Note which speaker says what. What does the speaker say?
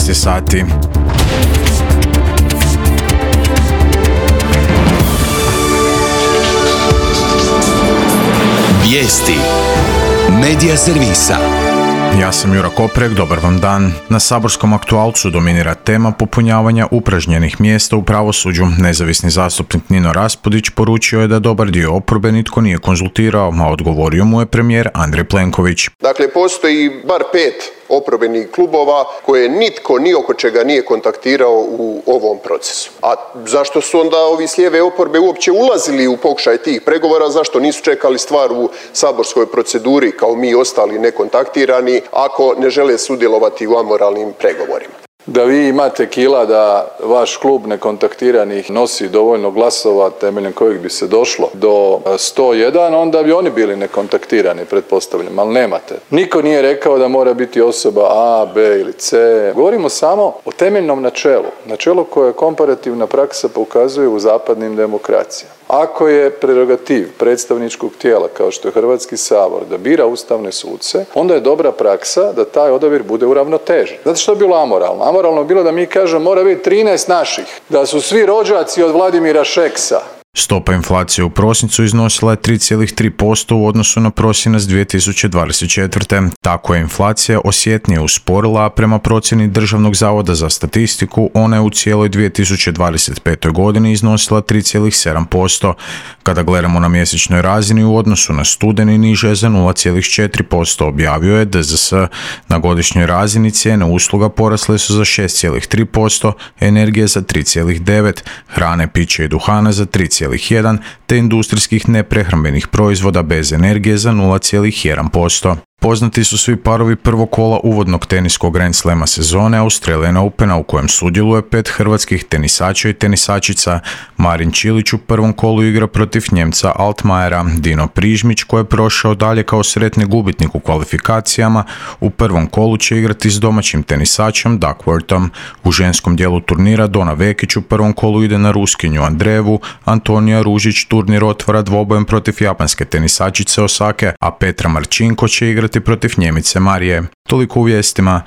Speaker 1: je sati.
Speaker 2: Vijesti Medija servisa.
Speaker 1: Ja sam Jura Koprek, dobar vam dan. Na saborskom aktualcu dominira tema popunjavanja upražnjenih mjesta u pravosuđu. Nezavisni zastupnik Nino Raspudić poručio je da dobar dio oporbe nitko nije konzultirao, a odgovorio mu je premijer Andrej Plenković.
Speaker 3: Dakle, postoji bar 5 oporbenih klubova koje nitko ni oko čega nije kontaktirao u ovom procesu. A zašto su onda ovi s lijeve oporbe uopće ulazili u pokušaj tih pregovora? Zašto nisu čekali stvar u saborskoj proceduri kao mi ostali nekontaktirani ako ne žele sudjelovati u amoralnim pregovorima?
Speaker 4: Da vi imate kila da vaš klub nekontaktiranih nosi dovoljno glasova temeljem kojih bi se došlo do 101, onda bi oni bili nekontaktirani, pretpostavljam, ali nemate. Niko nije rekao da mora biti osoba A, B ili C. Govorimo samo o temeljnom načelu koje komparativna praksa pokazuje u zapadnim demokracijama. Ako je prerogativ predstavničkog tijela kao što je Hrvatski sabor da bira ustavne suce, onda je dobra praksa da taj odabir bude uravnotežen. Znate što je bilo amoralno? Amoralno je bilo da mi kažemo mora biti 13 naših, da su svi rođaci od Vladimira Šeksa.
Speaker 1: Stopa inflacije u prosincu iznosila je 3,3% u odnosu na prosinac 2024. Tako je inflacija osjetnije usporila, a prema procjeni Državnog zavoda za statistiku ona je u cijeloj 2025. godini iznosila 3,7%. Kada gledamo na mjesečnoj razini u odnosu na studeni niže je za 0,4%, objavio je DZS. Na godišnjoj razini cijene usluga porasle su za 6,3%, energije za 3,9%, hrane, piće i duhana za 3,1%, te industrijskih neprehrambenih proizvoda bez energije za 0,1%. Poznati su svi parovi prvog kola uvodnog teniskog Grand Slama sezone Australian Opena u kojem sudjeluje 5 hrvatskih tenisača i tenisačica. Marin Čilić u prvom kolu igra protiv Njemca Altmajera. Dino Prižmić, koji je prošao dalje kao sretni gubitnik u kvalifikacijama, u prvom kolu će igrati s domaćim tenisačem Duckworthom. U ženskom dijelu turnira Dona Vekić u prvom kolu ide na Ruskinju Andreevu, Antonija Ružić turnir otvara dvobojem protiv japanske tenisačice Osake, a Petra Marčinko će igrati protiv Njemice Marije. Toliko u vijestima.